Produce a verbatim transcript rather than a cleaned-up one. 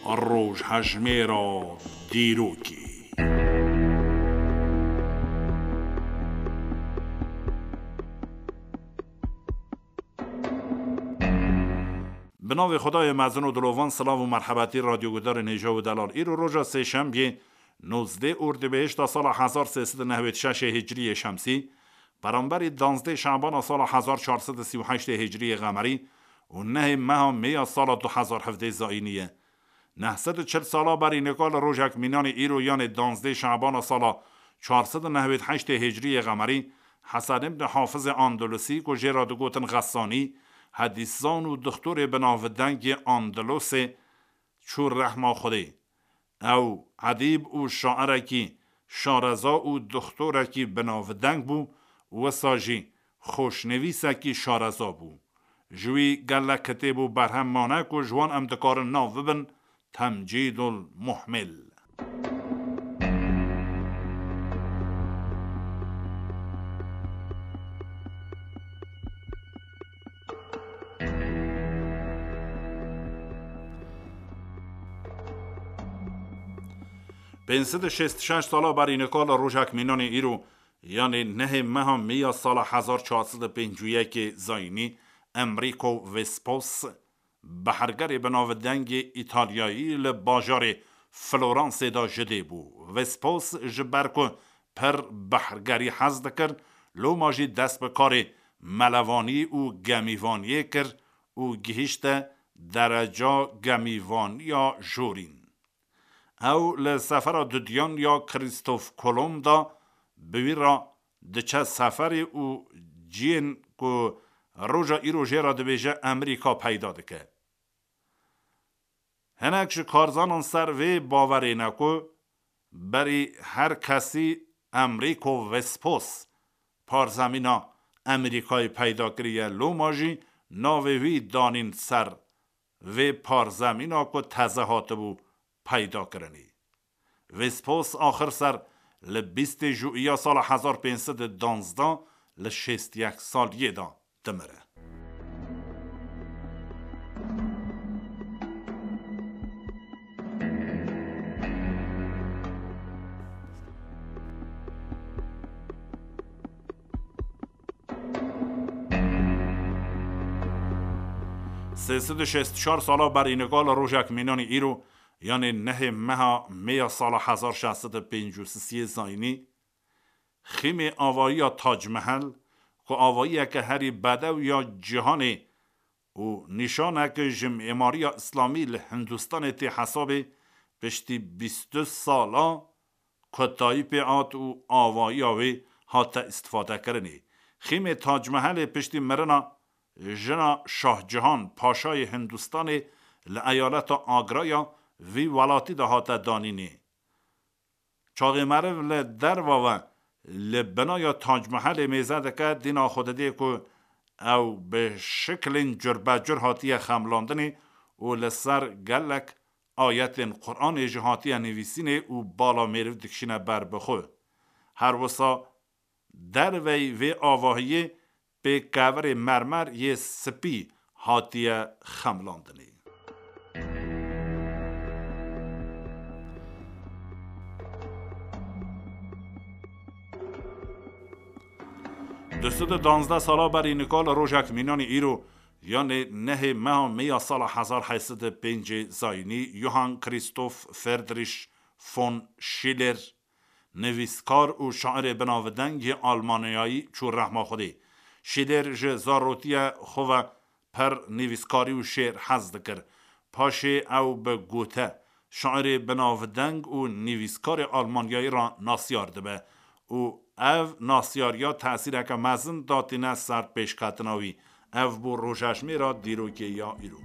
Rojhejmêra dîrokê. Bi navê Xwedayê mezin û dilovan, silav û merhebetî radyogudarên hêja û delal. Îro roja sêşembiyê, nozdeh Ordibehişta sala hezar sê sed û nehwêd şeşê hicriyê şemsî, beramberî danzdeh Şabana sala hezar çar sed û sî û heştê hicriyê qemerî û nehê meha mêya sala du hezar hevdeh zayînî ye. Neh sed û çil sala berî nika li rojek mînanê îro, yanê danzdeh Şabana sala çar sed û nehwêd heştê hicriyê qemerî, Hesen ibn Hafizê Andalusî ku jê re digotin Xesanî, hedîszan û dixtorê binavdengê Andalusê çû rehma Xwedê. Ew edîb û şairekî şareza û dixtorekî binavdeng bû, wisa jî xweşnivîsekî şareza bû. Ji wî gelek kitêb û berhem mane ku ji wan em dikarin nav bibin Temcîdul Muhmil. Pênc sed û şêst û şeş sala berî nika li rojek mînanê îro, yanê nehê meha Mîya sala hezar çar sed û pêncî û yekê zayînî, Enrico Vespos, behergerê binavdengê Îtalyayî li bajarê Floransê de ji dê bû. Vespos ji ber ku pir behergerî hez dikir, loma jî dest bi karê melevanî û gemîvaniyê kir û gihîşte dereca gemîvaniya jorîn. Ew li sefera dudiyan ya Krîstof Kolomb de bi wî re diçe seferê û ciyên ku roja îro jê re dibêje Emerîka peyda dike. Hinek ji karzanan ser vê bawerê ne ku berî her kesî Enrico Vespos parzemîna Emerîkayê peyda kiriye, loma jî navê wî danîn ser vê parzemîna ku teze hatibû peydakirinê. Vespos axir ser li bîstê Jûiya sala hezar pênc sed û danzdeh li şêst û yek saliyê de dimire. Sê sed û şêst û çar sala berî nika li rojek mînanî îro, yanê nehê meha Mêya sala hezar şeş sed û pêncî û sisiyê zayînî, xîmê avayiya Tac Mehel, ku avayiyeke herî bedew ya cîhanê û nîşaneke ji mîmariya îslamî li Hindistanê tê hesabê, piştî bîst û du sala kotayî pê hat û avayiya wê hate îstifadekirinê. Xîmê Tac Mehelê piştî mirina jina Şah Cihan Paşayê Hindistanê li eyaleta Agraya vî welatî de hate danînê. Çaxê meriv li derva ve li binaya Tac Mehelê mêze dike, dîna xwe didê ku ew bi şiklên curbecur hatiye xemlandinê û li ser gelek ayetên Quranê jî hatiye nivîsînê û bala mêriv dikişîne ber bi xwe. Her wisa derveyî vê avahiyê pê kevirê mermer yê spî hatiye xemlandinê. Du sed û danzdeh sala berî nika li rojek mînanî îro, yanê nehê meha Mêya sala hezar heyt sed û pêncê zayînî, Johann Christoph Friedrich von Schiller, nivîskar û şairê binavdeng yê Almanyayî çû rehma Xwedê. Şîler ji zarotiye xwe ve pir nivîskarî û şêr hez dikir. Paşê ew bi gote, şairê binavdeng û nivîskarê Almanyayî re nasyar dibe û ev nasyariya tesîreke mezin datîne ser pêşketina wî. Ev bû rojejmêra dîrokê ya îro.